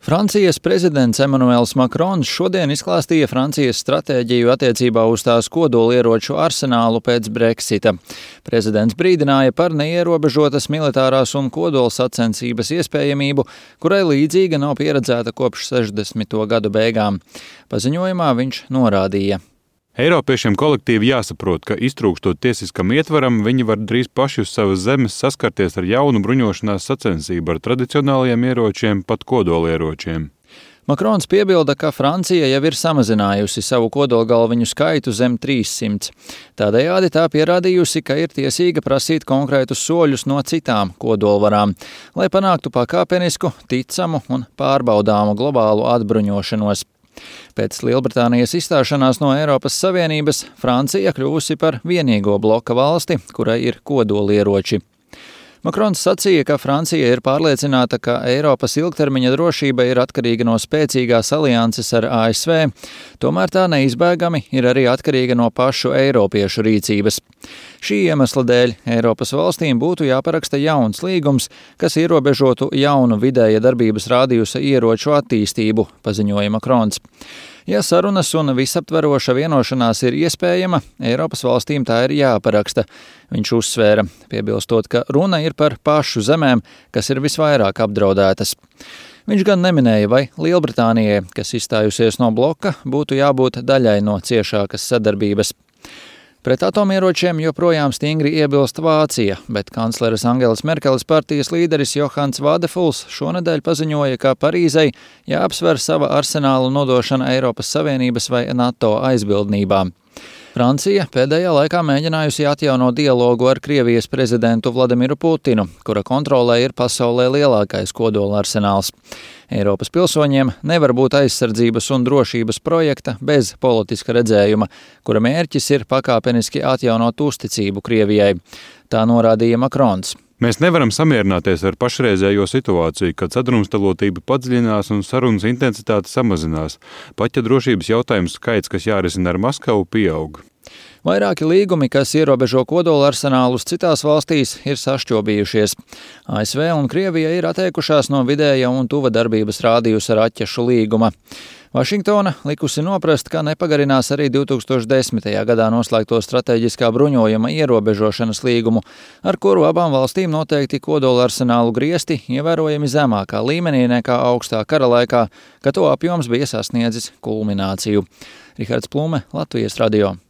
Francijas prezidents Emmanuels Macrons šodien izklāstīja Francijas stratēģiju attiecībā uz tās kodolieroču arsenālu pēc Brexita. Prezidents brīdināja par neierobežotas militārās un kodolsacensības iespējamību, kurai līdzīga nav pieredzēta kopš 60. gadu beigām. Paziņojumā viņš norādīja: Eiropiešiem kolektīvi jāsaprot, ka iztrūkstot tiesiskam ietvaram, viņi var drīz paši uz savas zemes saskarties ar jaunu bruņošanās sacensību ar tradicionālajiem ieročiem, pat kodolieročiem. Macrons piebilda, ka Francija jau ir samazinājusi savu kodolgalviņu skaitu zem 300. Tādējādi tā pierādījusi, ka ir tiesīga prasīt konkrētus soļus no citām kodolvarām, lai panāktu pakāpenisku, ticamu un pārbaudāmu globālu atbruņošanos. Pēc Lielbritānijas izstāšanās no Eiropas Savienības Francija kļuvusi par vienīgo bloka valsti, kurai ir kodolieroči. Macrons sacīja, ka Francija ir pārliecināta, ka Eiropas ilgtermiņa drošība ir atkarīga no spēcīgās alianses ar ASV, tomēr tā neizbēgami ir arī atkarīga no pašu eiropiešu rīcības. Šī iemesla dēļ Eiropas valstīm būtu jāparaksta jauns līgums, kas ierobežotu jaunu vidēja darbības rādījusa ieroču attīstību, paziņoja Macrons. Ja sarunas un visaptveroša vienošanās ir iespējama, Eiropas valstīm tā ir jāparaksta, viņš uzsvēra, piebilstot, ka runa ir par pašu zemēm, kas ir visvairāk apdraudētas. Viņš gan neminēja, vai Lielbritānijai, kas izstājusies no bloka, būtu jābūt daļai no ciešākas sadarbības. Pret atomieročiem joprojām stingri iebilst Vācija, bet kancleres Angelas Merkeles partijas līderis Johanns Vadefuls šonedēļ paziņoja, ka Parīzei jāapsver sava arsenāla nodošana Eiropas Savienības vai NATO aizbildnībām. Francija pēdējā laikā mēģinājusi atjaunot dialogu ar Krievijas prezidentu Vladimiru Putinu, kura kontrolē ir pasaulē lielākais kodola arsenāls. Eiropas pilsoņiem nevar būt aizsardzības un drošības projekta bez politiska redzējuma, kura mērķis ir pakāpeniski atjaunot uzticību Krievijai. Tā norādīja Macrons. Mēs nevaram samierināties ar pašreizējo situāciju, kad sadrumstalotība padziļinās un sarunas intensitāte samazinās, pat ja drošības jautājumu skaits, kas jārisina ar Maskavu, pieaug. Vairāki līgumi, kas ierobežo kodola arsenālus citās valstīs, ir sašķobījušies. ASV un Krievija ir atteikušās no vidēja un tuva darbības rādījusa raķešu līguma. Vašingtona likusi noprast, ka nepagarinās arī 2010. gadā noslēgto strateģiskā bruņojuma ierobežošanas līgumu, ar kuru abām valstīm noteikti kodola arsenālu griesti ievērojami zemākā līmenī nekā augstā kara laikā, kad to apjoms bija sasniedzis kulmināciju. Rihards Plume, Latvijas radio.